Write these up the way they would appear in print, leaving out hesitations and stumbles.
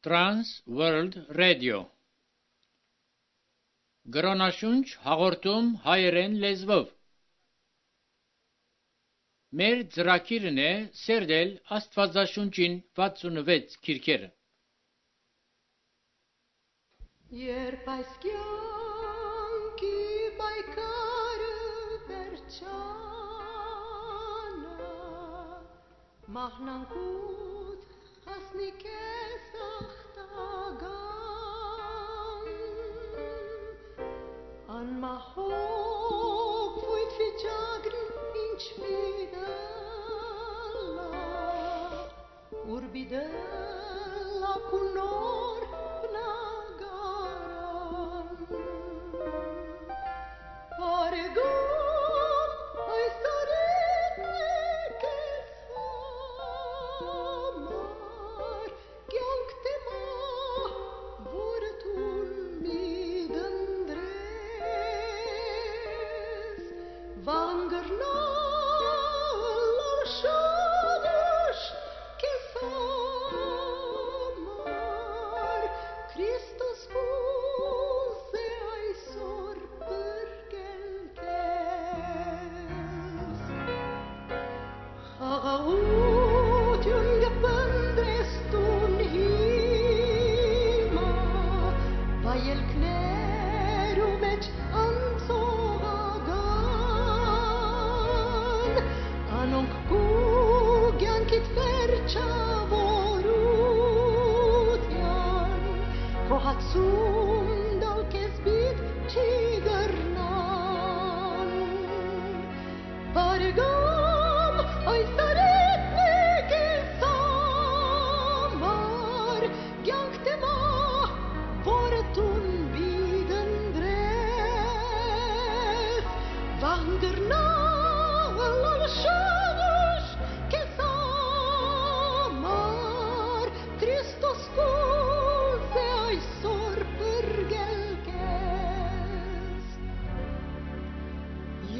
Trans World Radio Գրոնաշունչ հաղորդում հայերեն լեզվով Մեր ծրագիրն է սերդել Աստվածաշունչին 66 քիրքերը Երբ այս կյանքի պայքարը վերջանա մահնանկուց հասնի քեզ ախտագան անմահով վույթ վիճակն ինչ բիդելա ուր բիդելա կունոր բնագարան Արեգոմ այս արետն է կեզ համար կյանք թեմա որը թուն մի դնդրես վանգրնալ շադուշ կեզ համար Քրիստոս կուզ է այսօր բրկել քեզ Խաղաղություն գպնդրես տուն հիմա վայելքներու մեջ անցողական անոնք կու կյանքիդ վերջավորության քո հացում դալ քեզ բիդ չի գրնան Բարեգամ այս արետն է քեզ համար կյանք թեմա որը տուն բիդ ընդրես վանգրնալ շավուշ քեզ համար Քրիստոս կուզ է այսօր բրգել քեզ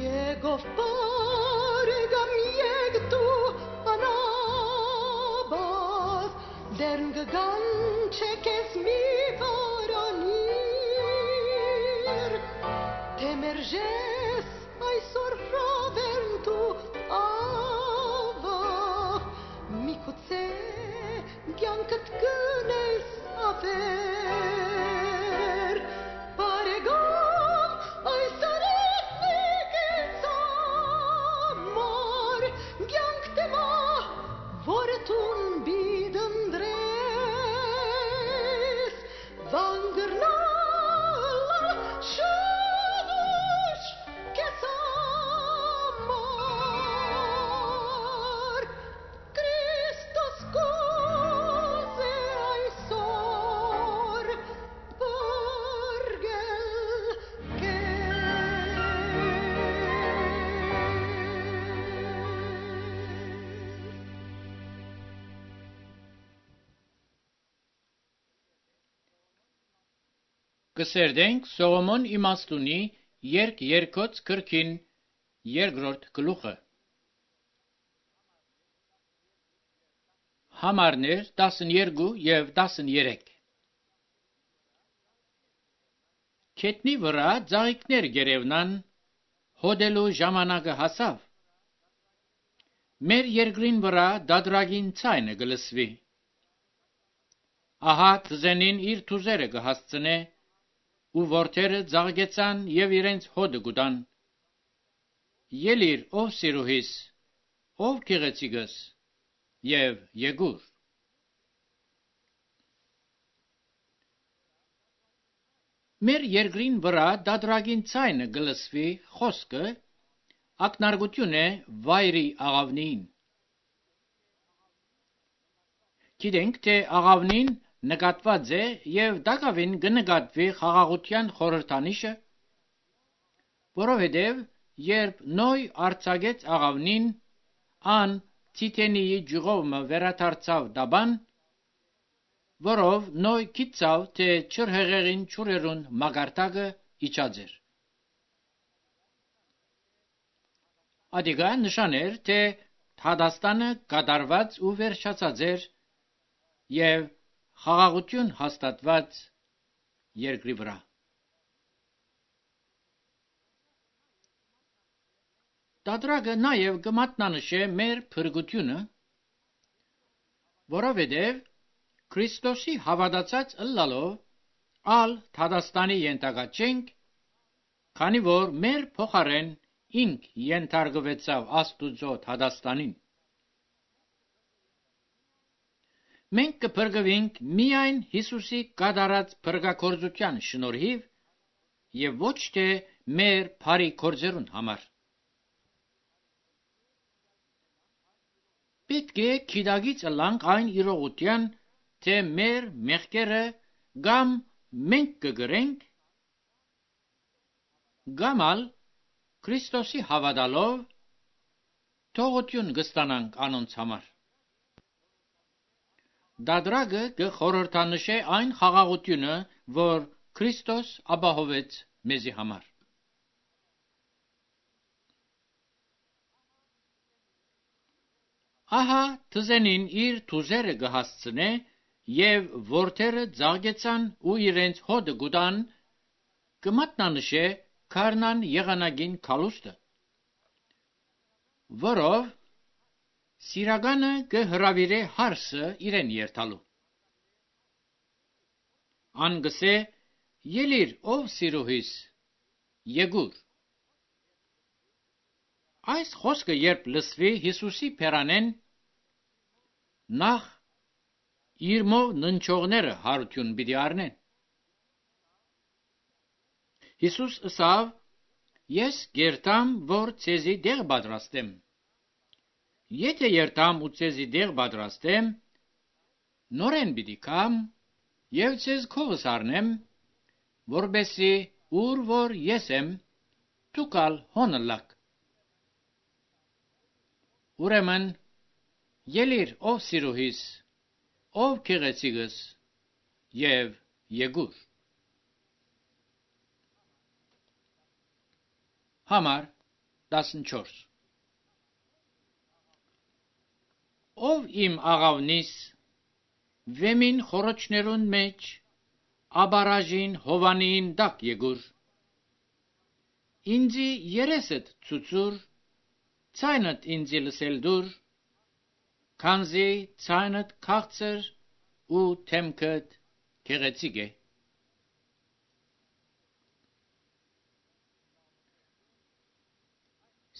Եկով բարեգամ եկ դու անաբավ դերն գգան չէ քեզ մի վարանիր թե մերժես այսօր ռավեն դու ավավ միգուցե կյանքդ գնես ավեր բարեգամ այս արետն է քեզ համար կյանք թեմա որը տուն բիդ ընդրես վանգրնալ շավուշ քեզ համար Քրիստոս կուզ է այսօր բրգել Կսերդենք Սողոմոն իմաստունի երկոց քրքին երկրորդ գլուխը Համարներ 12 և 13 Քետնի վրա ծաղիկներ գերևնան հոդելու ժամանակը հասավ Մեր երկրին վրա դադրագին ցայնը գլսվի Ահա թզենին իր թուզերը կհասցնե ու որդերը ծաղկեցան և իրենց հոդը գուտան Ելիր ով սիրուհիս ով գեղեցիկս և եկուր Մեր երկրին վրա դադրագին ցայնը գլսվի խոսքը ակնարկություն է վայրի աղավնին Գիտենք թե աղավնին նկատված է և դակավին կնկատվի խաղաղության խորհրդանիշը որովհետև երբ Նոյ արձակեց աղավնին ան Ցիտենիի ջուղովը վերադարձավ դաբան որով Նոյ գիտավ թե չրհեղեղին ճուրերուն մագարտակը իջած էր Ադիգա նշաներ թե Հադաստանը կատարված ու վերջացած էր և խաղաղություն հաստատված երկրի վրա։ Դադրագը նաև կմատնանշե մեր փրկությունը, որովհետև Քրիստոսի հավատացած ըլլալով ալ Թադաստանի ենթակա չենք, քանի որ մեր փոխարեն ինք ենթարկվեցավ Աստուծո Թադաստանին։ Մենք կփրկվենք միայն Հիսուսի կատարած փրկագործության շնորհիվ եւ ոչ թե մեր բարի գործերուն համար։ Պետք է քիդագից ըլլանք այն իրողության, թե մեր մեղքերը կամ մենք կգրենք, կամ ալ Քրիստոսի հավատալով թողություն կստանանք անոնց համար։ Դադրագը կխորհրդանշե այն խաղաղությունը, որ Քրիստոս ապահովեց մեզի համար։ Ահա թզենին իր թուզերը կհասցնե եւ որդերը ծաղկեցան ու իրենց հոդը գուտան, կմատնանշե քարնան եղանակին քալուստը, որով սիրականը կհրավիրե հարսը իրեն երթալու։ Ան գսե ելիր ով սիրուհիս, եկուր։ Այս խոսքը երբ լսվի Հիսուսի փերանեն, նախ իր մով ննչողները հարություն պիտի առնեն։ Հիսուս ըսավ. ես գերտամ, որ ցեզի դեղ պատրաստեմ։ Եթե երթամ ու ցեզի դեղ պատրաստեմ, նորեն պիտի կամ եւ ցեզ քողս առնեմ, որբեսի ուր որ ես եմ, դուքալ հոնլակ։ Ուրեմն ելիր ով սիրուհիս, ով քեղեցիկս եւ եկուր։ Համար 14 Ով իմ աղավնիս վեմին խորոչներուն մեջ աբարաժին հովանին դակ եկուր։ Ինձի երեսդ ցուցուր, ցայնդ ինձի լսել դուր, քանզի ցայնդ քաղցր ու թեմքդ քեղեցիկ է։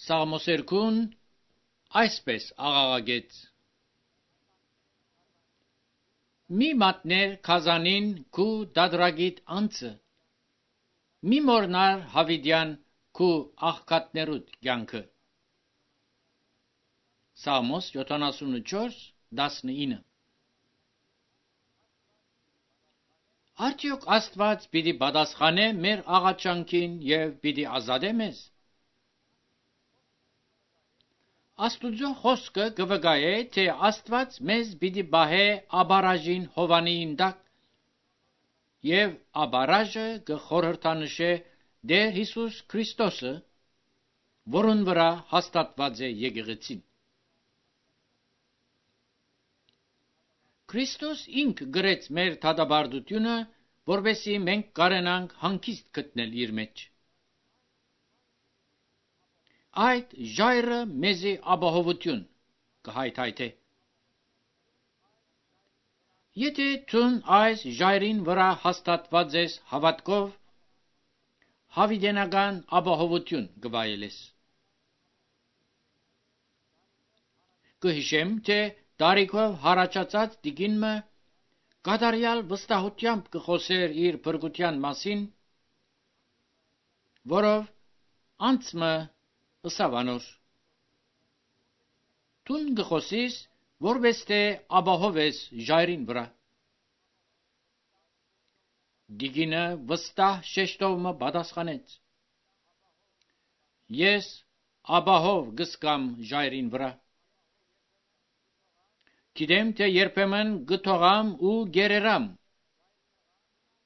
Սաղմոսերքուն այսպես աղաղագեց. Մի մատներ քազանին քու դադրագիտ անցը, մի մորնար հավիդյան քու աղքատներուդ կյանքը։ Սաղմոս 74:19 Արդյոք Աստված պիտի պատասխանե մեր աղաչանքին եւ պիտի ազատե մեզ։ Աստուծո խոսքը կվկայե, թե Աստված մեզ պիտի բահե աբարաժին հովանին տակ, եւ աբարաժը կխորհրդանշե Տեր Հիսուս Քրիստոսը, որուն վրա հաստատված է եկեղեցին։ Քրիստոս ինք գրեց մեր դատապարտությունը, որովհետեւ մենք կարենանք հանգիստ գտնել իր մեջ։ Այդ ժայռը մեզի ապահովություն կհայթայթե։ Եթե ցուն այս ժայռին վրա հաստատված ես հավատքով, հավիտենական ապահովություն կվայելես։ Կհիշեմ, թե տարիքով հարաճած տիկինը կատարյալ վստահությամբ կխոսեր իր փրկության մասին, որով անցմը ըսավ անոր. Տուն գխոսիս, որպես թե ապահովես ժայռին վրա։ Դիգինը վստահ շեշտովը պատասխանեց. Ես ապահով գսկամ ժայռին վրա։ Գիտեմ, թե երբեմն գթողամ ու գերերամ,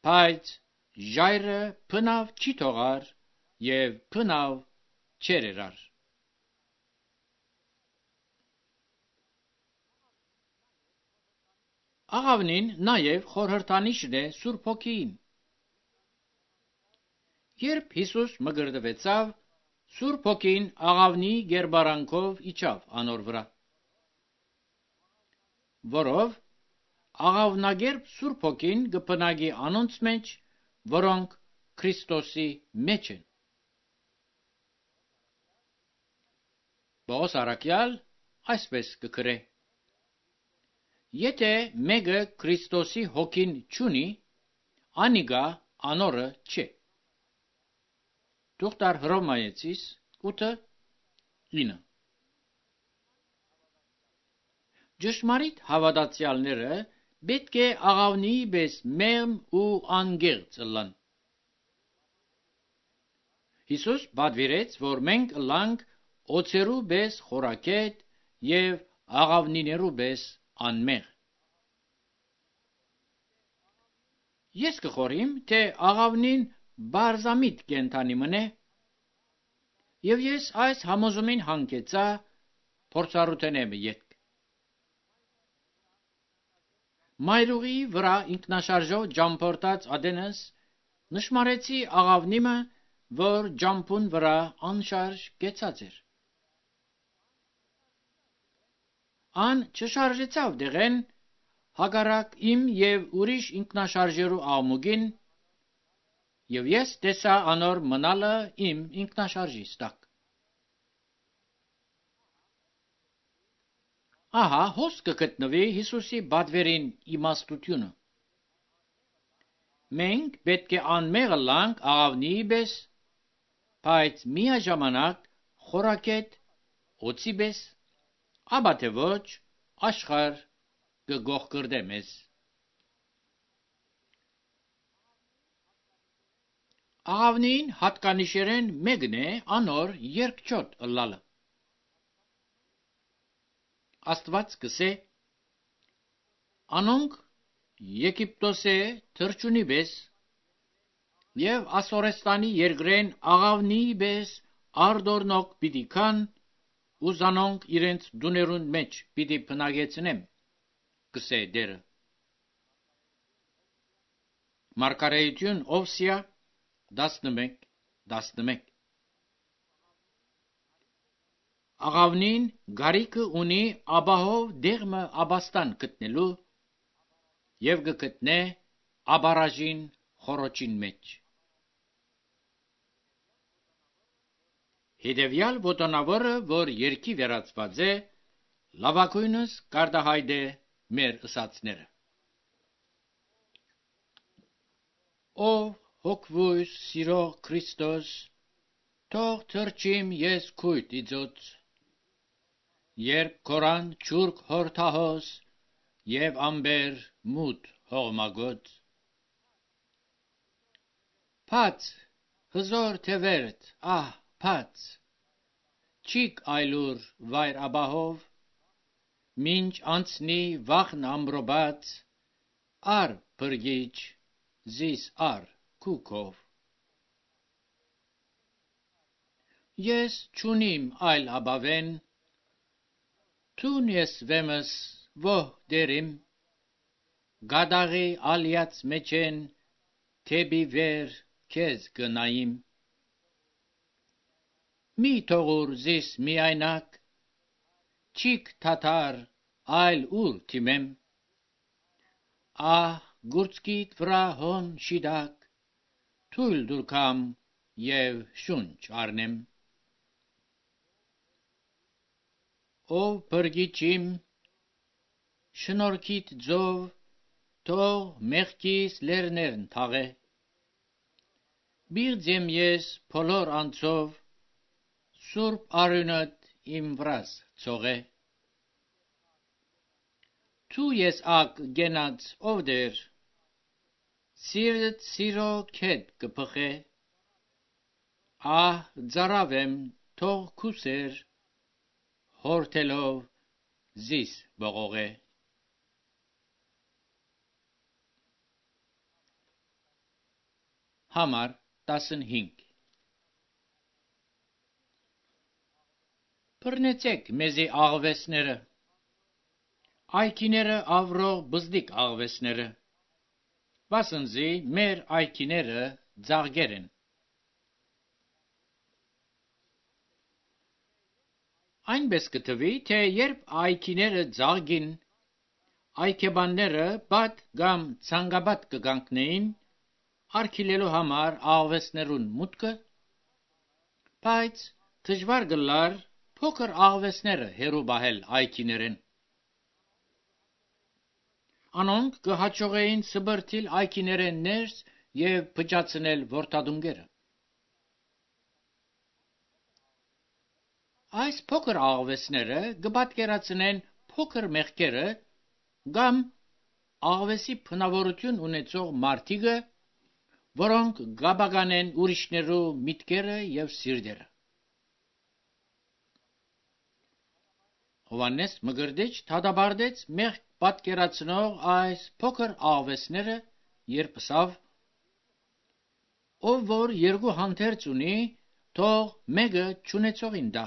բայց ժայռը փնավ չի թողար եւ փնավ չերերար։ Աղավնին նաև խորհրդանիշն է Սուրբ Հոգիին։ Երբ Հիսուս մգրտվեցավ, Սուրբ Հոգին աղավնի գերբարանքով իջավ անոր վրա, որով աղավնագերբ Սուրբ Հոգին կբնակի անոնց մեջ, որոնք Քրիստոսի մեջ են։ Պողոս առաքյալ այսպես կգրե. Եթե մեկը Քրիստոսի հոգին չունի, անիկա անորը չէ։ Թուղթար Հռոմայեցիս 8:9։ Ճշմարիտ հավատացյալները պետք է աղավնիի պես մեղմ ու անգեղծ ըլլան։ Հիսուս պատվիրեց, որ մենք ըլլանք օձերու պես խորակետ և աղավնիներու պես անմեղ։ Ես կխորհիմ, թե աղավնին բարձամիտ կենթանի մնե, և ես այս համոզումին հանգեցա փորձառութենեմ ետք։ Մայրուղիի վրա ինքնաշարժով ջամփորդած ադենս նշմարեցի աղավնիմը, որ ջամփուն վրա անշարժ կեցած էր։ Ան չշարժեցավ դեղեն, հակառակ իմ և ուրիշ ինքնաշարժերու աղմուկին, և ես տեսա անոր մնալը իմ ինքնաշարժիս տակ։ Ահա հոս կգտնվի Հիսուսի պատվերին իմաստությունը։ Մենք պետք է անմեղ ըլլանք աղավնիի պես, բայց միաժամանակ խորակետ օձի պես, ապա թե ոչ աշխարհ կգողգրդե մեզ։ Աղավնին հատկանիշերեն մեկն է անոր երկչոտ ըլլալը։ Աստված կսե. անոնք Եգիպտոսե թրջունի պես և Ասորեստանի երկրեն աղավնիի պես արտորնոք պիտի քան, ու զանոնք իրենց դուներուն մեջ պիտի բնակեցնեմ, կսե Տերը։ Մարգարեություն Օվսիա 11:11։ Աղավնին գարիքը ունի ապահով դեղմը ապաստան գտնելու և կգտնե ապարաժին խորոչին մեջ։ Հետևյալ ոտոնավորը, որ երկի վերածված է, լավագույնս կարտահայտ է մեր ըսածները։ Ով հոգվույս սիրող Քրիստոս, թող թրջիմ ես քույտ իծոց, երբ կորան չուրք հորթահոս և ամբեր մութ հողմագոց։ Փած հզոր թևերդ, ահ փած, չիք այլուր վայր ապահով, մինչ անցնի վախն ամրոբաց, առ փրկիչ զիս առ քուքով։ Ես չունիմ այլ ապավեն, թուն ես վեմս ոհ դերիմ, գադաղի ալյաց մեջեն թեպի վեր քեզ գնայիմ։ Մի թողուր զիս միայնակ, չիք թաթար այլ ուր թիմեմ, ահ գուրծքիդ վրա հոն շիդակ, թույլ տուր կամ և շունչ առնեմ։ Ով փրկիչ իմ, շնորհքիդ ձով, թող մեղքիս լեռներն թաղե, բիղձեմ ես բոլոր անձով, սուրբ արյունդ իմ վրաս ցողե։ Դու ես ակ գենած ով Տեր, սիրտ սիրո քետ կփխե, ահ ծարավեմ թող քուսեր, հորթելով զիս բողողե։ Համար 15 Բռնեցեք մեզի աղվեսները, այքիները ավրող բզդիկ աղվեսները, վասնզի մեր այքիները ձաղգեր են։ Այնպես կթվի, թե երբ այքիները ձաղգին, այքեբանները բադ կամ ցանգաբադ կգանքնեին, արգիլելու համար աղվեսներուն մուտքը, բայց դժվար գլար փոքր աղվեսները հերու բահել այքիներեն։ Անոնք կհաջողեին սբրտիլ այքիներեն ներս և փճացնել որդադունգերը։ Այս փոքր աղվեսները կպատկերացնեն փոքր մեղքերը կամ աղվեսի փնավորություն ունեցող մարդիկը, որոնք գաբագանեն ուրիշներու միտքերը և սիրտերը։ Հովհաննես Մկրտիչ դատապարտեց մեղք պատկերացնող այս փոքր աղվեսները, երբ ասավ. ով որ երկու հանդերձ ունի, թող մեկը չունեցողին տա,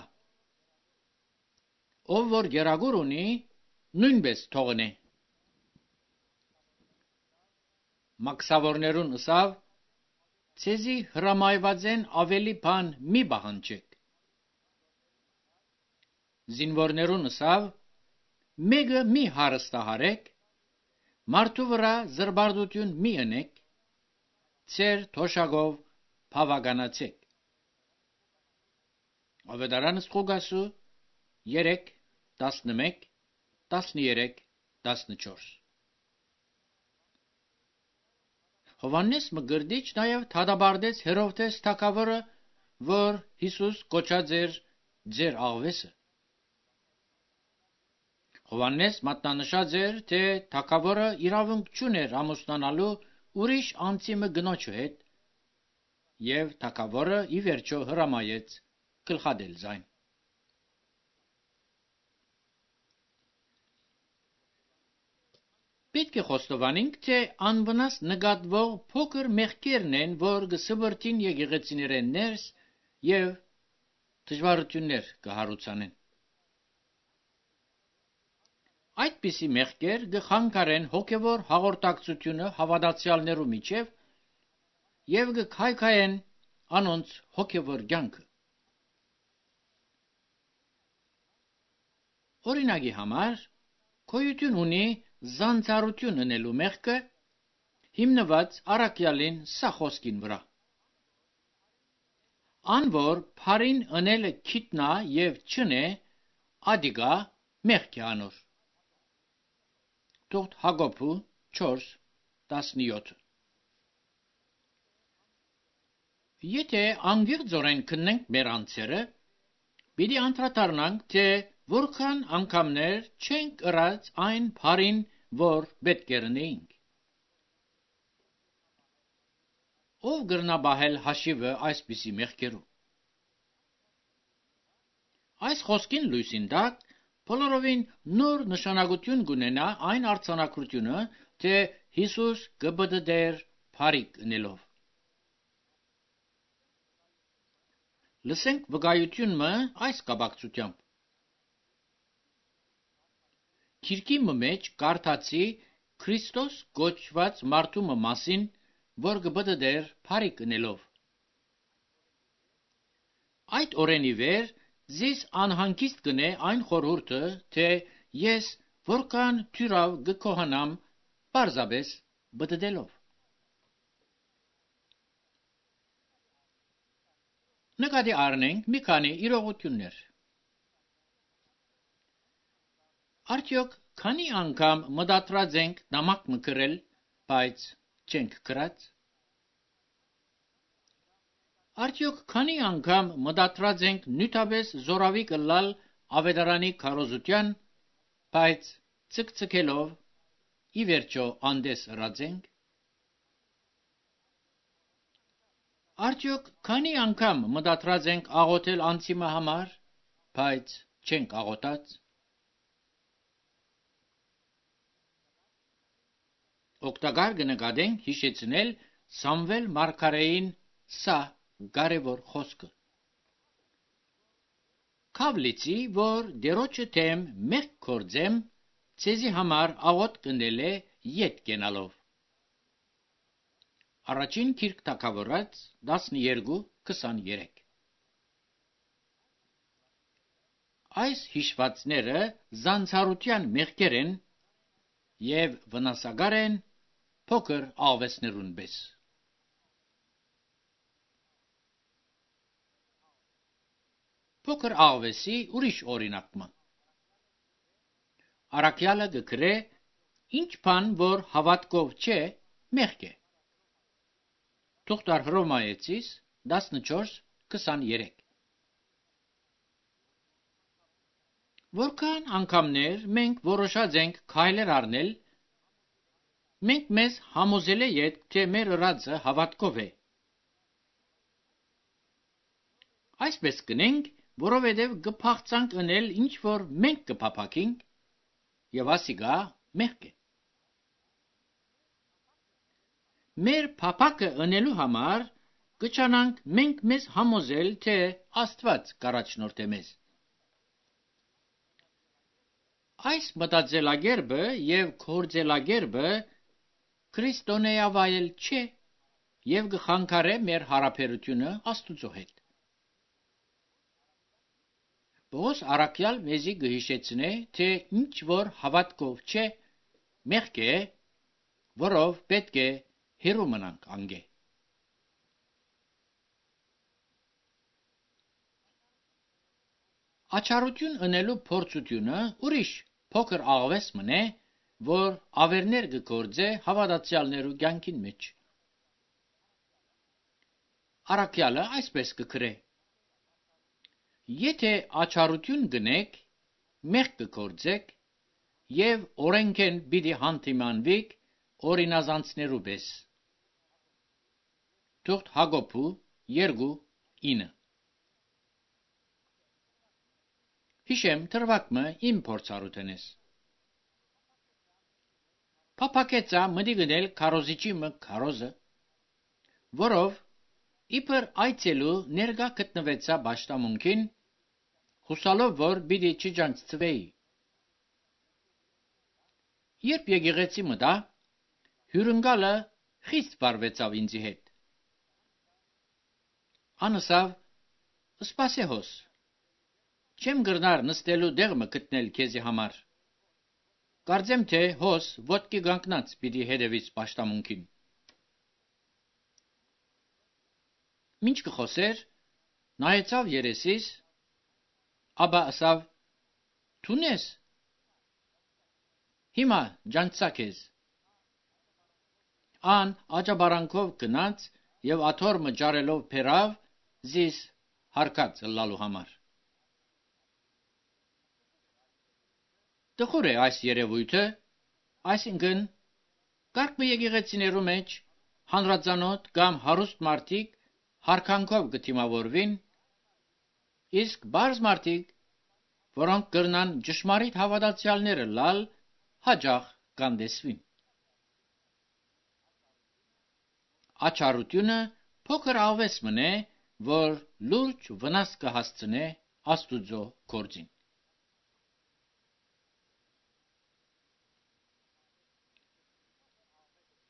ով որ գերագուր ունի, նույնպես թողնե։ Մաքսավորներուն ասավ. ցեզի հրամայված են ավելի բան մի պահանջեք։ Զինվորներուն ասավ. մեկը մի հարստահարեք, մարդու վրա զրբարտություն մի ընեք, ձեր թոշակով բավականացեք։ Ավետարանս Ղուկասու 3, 11, 13, 14։ Հովհաննես Մկրտիչ նաև դատապարտեց Հերովդես թագավորը, որ Հիսուս կոչած էր ձեր աղվեսը։ Հովհաննես մատնանշած էր, թե թագավորը իրավունք չուներ ամուսնանալու ուրիշ անձիմը գնոջու հետ, և թագավորը ի վերջո հրամայեց գլխադել զայն։ Պետք է խոստովանենք, թե անվնաս նկատվող փոքր մեղքերն են, որ կսբրտին եկեղեցիներեն ներս և դժվարություններ կհարուցանեն։ Այդպիսի մեղքեր կխանգարեն հոգևոր հաղորդակցությունը հավատացյալներու միջև և կքայքայեն անոնց հոգևոր կյանքը։ Օրինակի համար, գոյություն ունի զանցառություն ընելու մեղքը, հիմնված առաքյալին սա խոսքին վրա. ան որ փարին ընելը գիտնա և չնե, ադիգա մեղք է անոր։ Թուղթ Հակոբու 4:17։ Եթե անգիղձորեն քննենք մեր անձերը, պիտի անդրադառնանք, թե որքան անգամներ չենք ըրած այն փարին, որ պետք է ընեինք։ Ով կրնաբահել հաշիվը այսպիսի մեղքերու։ Այս խոսքին լույսին տակ բոլորովին նոր նշանակություն կունենա այն արձանագրությունը, թե Հիսուս կպտտեր փարիկ ընելով։ Լսենք վկայությունը այս կապակցությամբ։ Գիրքի մեջ կարդացի Քրիստոս կոչված մարդու մասին, որ կպտտեր փարիկ ընելով։ Այդ օրենի վեր ձեզ անհանգիստ կնե այն խորհուրդը, թե ես որքան թյուրավ կքոհանամ պարզապես պտտելով։ Նկատի առնենք մի քանի իրողություններ։ Արդյոք քանի անգամ մտադրած ենք նամակ մկրել, բայց չենք գրած։ Արդյոք քանի անգամ մտադրած ենք նյութապես զորավի կլալ ավետարանի քարոզության, բայց ցկցկելով ի վերջո անդես ըրած ենք։ Արդյոք քանի անգամ մտադրած ենք աղոթել անձիմը համար, բայց չենք աղոթած։ Օգտակար կնկատենք հիշեցնել Սամվել մարգարեին սա կարևոր խոսքը. «Քավ լիցի, որ դերոջը թեմ մեղք գործեմ, ցեզի համար աղոտ կնել է ետ կենալով։ Առաջին գիրք թագավորաց 12:23։ Այս հիշվածները զանցարության մեղքեր են եւ վնասակար են փոքր աղվեսներուն պես։ Փոքր աղվեսի ուրիշ օրինակը։ Առաքյալը գկրե ինչ բան որ հավատքով չէ մեղք է։ Թուղթար Հռոմայեցիս 14:23։ Որքան անգամներ մենք որոշած ենք քայլեր առնել, մենք մեզ համոզել ենք, թե մեր ըրածը հավատքով է։ Այսպես կնենք, որովհետև կփախցանք ընել ինչ որ մենք կփափակենք, եւ ասիգա մեղք է։ Մեր փափակը ընելու համար կչանանք մենք մեզ համոզել, թե Աստված կառաջնորդե մեզ։ Այս մտածելակերպը եւ գործելակերպը քրիստոնեավայել չէ եւ կխանգարե մեր հարաբերությունը Աստծո հետ։ Պողոս առաքյալ մեզի կհիշեցնե, թե ինչ որ հավատքով չէ մեղք է, որով պետք է հեռու մնանք անգե։ Աչառություն ընելու փորձությունը ուրիշ փոքր աղվես մնե, որ ավերներ կգործե հավատացյալներու կյանքին մեջ։ Առաքյալը այսպես կգրե. Եթե աչառություն գնեք, մեղք կգործեք եւ օրենքեն պիտի հանդիմանվիք օրինազանցներու պես։ Թուղթ Հակոբու 2:9։ Հիշեմ թրվակմը իմ փորձառութենես։ Փափակեցա մտի գնել քարոզիչի մը քարոզը, որով իբր այցելու ներկա գտնվեցա պաշտամունքին, հուսալով որ պիտի չջանցվեի։ Երբ եկեղեցի մտա, հյուրընկալը խիստ վարվեցավ ինձի հետ։ Անսավ սպասեհոս, չեմ գրնար նստելու դեղ մը գտնել քեզի համար։ Կարծեմ թե հոս ոտքի կանգնած պիտի հետևից պաշտամունքին։ Մինչ կխոսեր, նայեցավ երեսիս, ապա ասավ. «Թուն ես»։ Հիմա ջանցա քեզ։ Ան աճաբարանքով գնաց եւ աթոռը ջարելով փերավ զիս հարկած լալու համար։ Տխուր է այս երևույթը, այսինքն կարգ եկեղեցիներու մեջ հանրածանոթ կամ հարուստ մարդիկ հարկանքով կդիմավորվին, իսկ բարձ մարդիկ, որոնք կրնան ճշմարիտ հավատացյալները լալ, հաջող կանդեսվին։ Աչառությունը փոքր աղվես մնե, որ լուրջ վնաս կհասցնե Աստուծո գործին։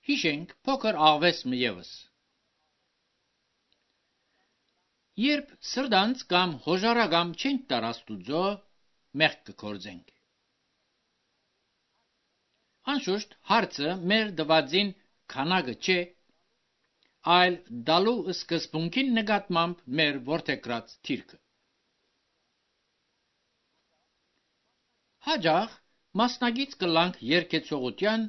Հիշենք փոքր աղվես մը ևս։ Երբ սրտանց կամ հոժարագամ չենք տար Աստուծո, մեղք կգործենք։ Անշուշտ հարցը մեր դվածին քանակը չէ, այլ դալու սկզբունքին նկատմամբ մեր որդեգրած թիրքը։ Հաջող մասնագից կլանք երկեցողության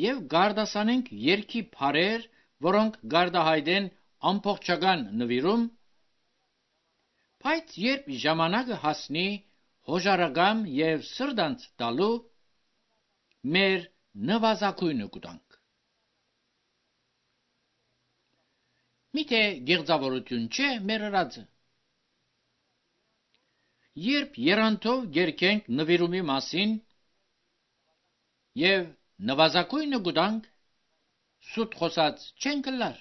եւ գարդասանենք երկի բարեր, որոնք գարդահայտեն ամբողջական նվիրում, բայց երբ ժամանակը հասնի հոժարագամ եւ սրտանց տալու, մեր նվազագույնը կտանք։ Միթե գեղձավորություն չէ մեր ըրածը։ Երբ երանտով գերքենք նվիրումի մասին եւ նվազագույնը կտանք, սուտ խոսած չենք լար։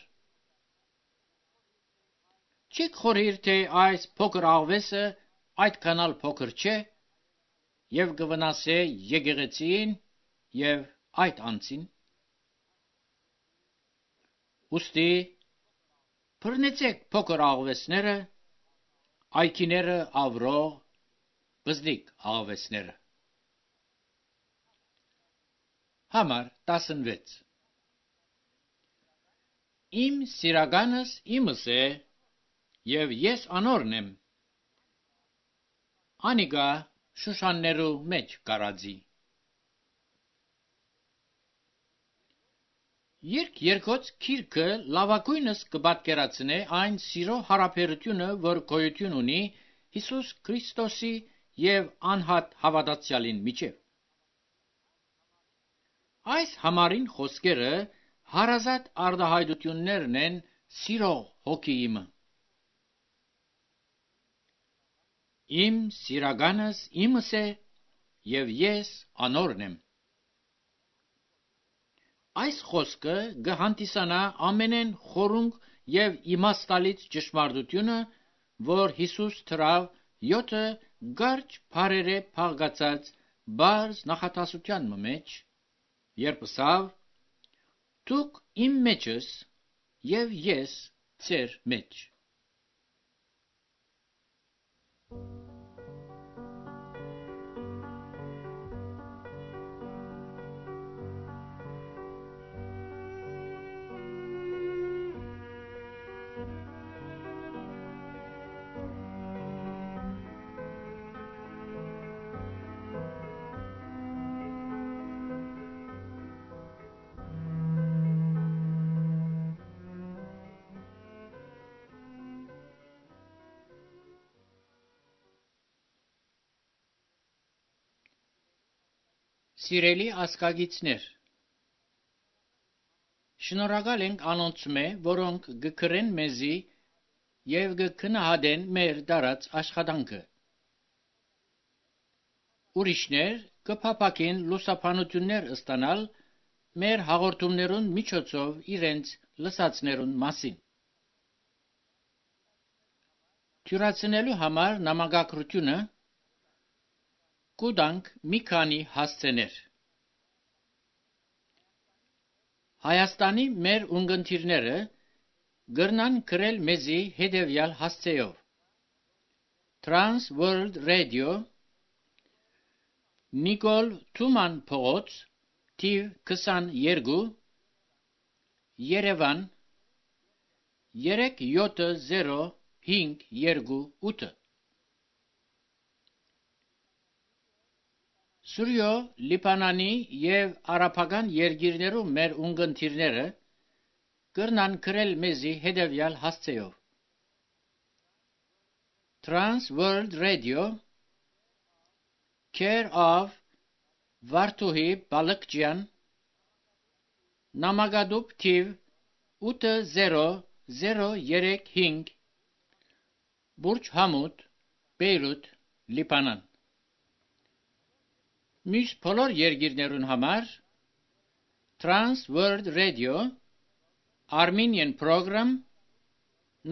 Չեք խորհիր, թե այս փոքր աղվեսը այդքանալ փոքր չէ, եւ կվնասե եկեղեցին եւ այդ անձին։ Ուստի բռնեցեք փոքր աղվեսները, այքիները ավրող, բզդիկ աղվեսները։ Համար 16 Իմ սիրականս իմս է, եւ ես անորն եմ, անիգա շուշաններու մեջ կարածի։ Երկոց քիրքը լավակույնս կպատկերացնե այն սիրո հարաբերությունը, որ գոյություն ունի Հիսուս Քրիստոսի եւ անհատ հավատացյալին միջև։ Այս համարին խոսքերը հարազատ արտահայտություններն են սիրող հոգիիմը։ Իմ սիրականս իմս է, եւ ես անորն եմ։ Այս խոսքը կհանդիսանա ամենեն խորունկ եւ իմաստալից ճշմարտությունը, որ Հիսուս թրավ 7 գարջ բարերե փաղկացած բարձ նախատասության մեջ, երբ ասավ. «Դուք իմ մեջս եւ ես ձեր մեջ»։ Սիրելի ասկագիցներ, շնորհակալ ենք անոնցմե, որոնք գկրեն մեզի եւ գքնահատեն մեր դարած աշխատանքը։ Ուրիշներ կփապակեն լուսաբանություններ ստանալ մեր հաղորդումներուն միջոցով իրենց լսածներուն մասին։ Թյուրացնելու համար նամակագրությունը կուտանք մի քանի հասցեներ։ Հայաստանի մեր ունգընտիրները գրնան գրել մեզի հետևյալ հասցեով. Trans World Radio, Նիկոլ Թուման փողոց, թիվ 22, Երևան 37058։ Սուրյո Լիբանանի եւ արաբական երկիրներու մեր ունգընտիրները կրնան գրել մեզի հետևյալ հասցեով. Trans World Radio, Care of Վարդուհի Բալկջյան, Նամակադուբ թիվ 80035, Բուրջ Համուդ, Բեյրութ, Լիբանան։ Մյուս բոլոր երկիրներուն համար Trans World Radio, Armenian Program,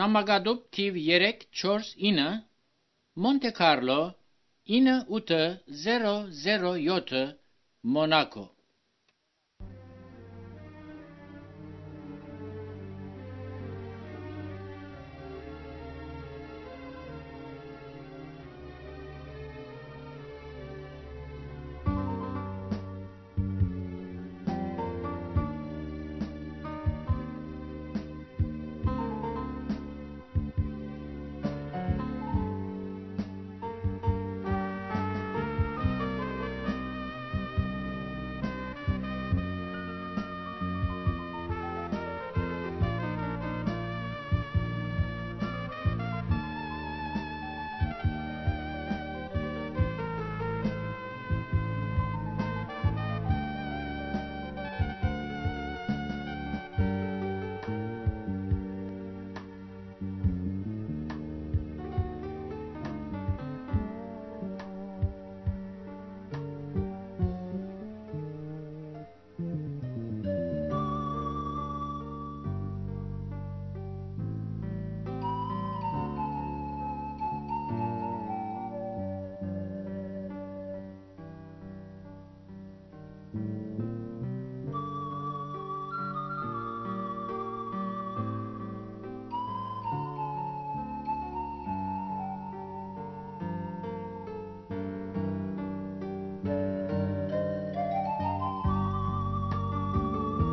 Նամակադուբ թիվ 349, Monte Carlo 98007, Monaco։